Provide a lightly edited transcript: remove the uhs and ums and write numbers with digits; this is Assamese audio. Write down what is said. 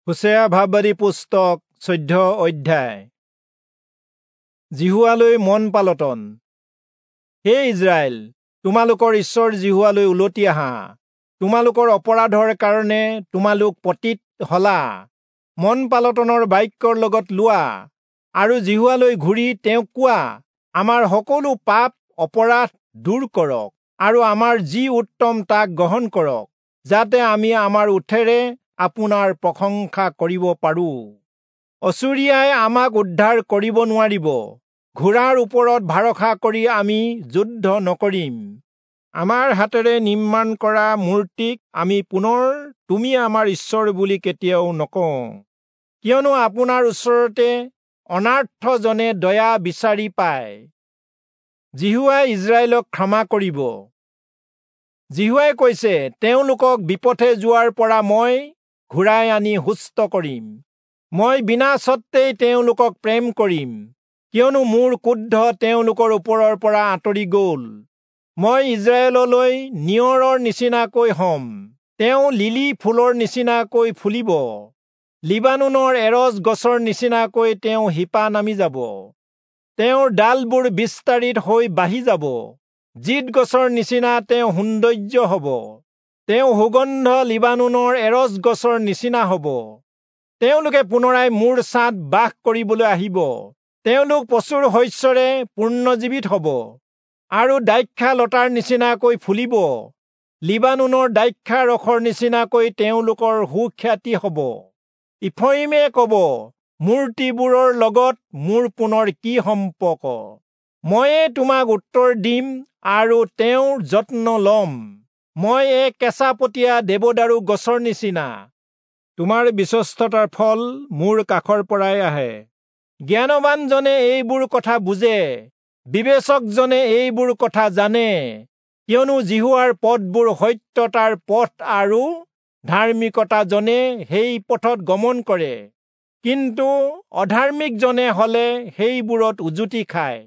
হোচেয়া ভাববাদী পুস্তক 14 অধ্যায়। যিহোৱালৈ মন পালটন। হে ইস্ৰায়েল, তোমালোকৰ ঈশ্বৰ যিহোৱালৈ উলটি আহা। তোমালোকৰ অপৰাধৰ কাৰণে তোমালোক পতিত হলা। মন পালটনৰ বাক্যৰ লগত লোৱা আৰু যিহোৱালৈ ঘূৰি তেওঁক কোৱা, আমাৰ সকলো পাপ অপৰাধ দূৰ কৰক আৰু আমাৰ যি উত্তম তাক গ্ৰহণ কৰক, যাতে আমি আমাৰ ওঁঠেৰে আপোনাৰ প্ৰশংসা কৰিব পাৰো। অচুৰীয়াই আমাক উদ্ধাৰ কৰিব নোৱাৰিব। ঘোঁৰাৰ ওপৰত ভৰসা কৰি আমি যুদ্ধ নকৰিম। আমাৰ হাতেৰে নিৰ্মাণ কৰা মূৰ্তিক আমি পুনৰ তুমি আমাৰ ঈশ্বৰ বুলি কেতিয়াও নকওঁ, কিয়নো আপোনাৰ ওচৰতে অনাৰ্থজনে দয়া বিচাৰি পায়। যিহোৱাই ইস্ৰায়েলক ক্ষমা কৰিব। যিহোৱাই কৈছে, তেওঁলোকক বিপথে যোৱাৰ পৰা মই ঘূৰাই আনি সুস্থ কৰিম। মই বিনা স্বত্বেই তেওঁলোকক প্ৰেম কৰিম, কিয়নো মোৰ ক্ৰোধ তেওঁলোকৰ ওপৰৰ পৰা আঁতৰি গ'ল। মই ইস্ৰায়েললৈ নিয়ৰৰ নিচিনাকৈ হ'ম, তেওঁ লিলি ফুলৰ নিচিনাকৈ ফুলিব। লিবানোনৰ এৰজ গছৰ নিচিনাকৈ তেওঁ শিপা নামি যাব। তেওঁৰ ডালবোৰ বিস্তাৰিত হৈ বাঢ়ি যাব। জিত গছৰ নিচিনা তেওঁ সৌন্দৰ্য হ'ব। তেওঁ সুগন্ধ লিবানোনৰ এৰজ গছৰ নিচিনা হ'ব। তেওঁলোকে পুনৰাই মোৰ ছাঁত বাস কৰিবলৈ আহিব। তেওঁলোক প্ৰচুৰ শস্যৰে পূৰ্ণজীৱিত হ'ব আৰু দ্ৰাক্ষা লতাৰ নিচিনাকৈ ফুলিব। লিবানোনৰ দ্ৰাক্ষা ৰসৰ নিচিনাকৈ তেওঁলোকৰ সুখ্যাতি হ'ব। ইফ্ৰয়িমে ক'ব, মূৰ্তিবোৰৰ লগত মোৰ পুনৰ কি সম্পৰ্ক? ময়ে তোমাক উত্তৰ দিম আৰু তেওঁৰ যত্ন ল'ম। মই এক কেঁচাপতীয়া দেৱদাৰু গছৰ নিচিনা। তোমাৰ বিশ্বস্ততাৰ ফল মোৰ কাষৰ পৰাই আহে। জ্ঞানৱানজনে এইবোৰ কথা বুজে, বিবেচকজনে এইবোৰ কথা জানে, কিয়নো যিহোৱাৰ পথবোৰ সত্যতাৰ পথ আৰু ধাৰ্মিকতাজনে সেই পথত গমন কৰে, কিন্তু অধাৰ্মিকজনে হলে সেইবোৰত উজুতি খায়।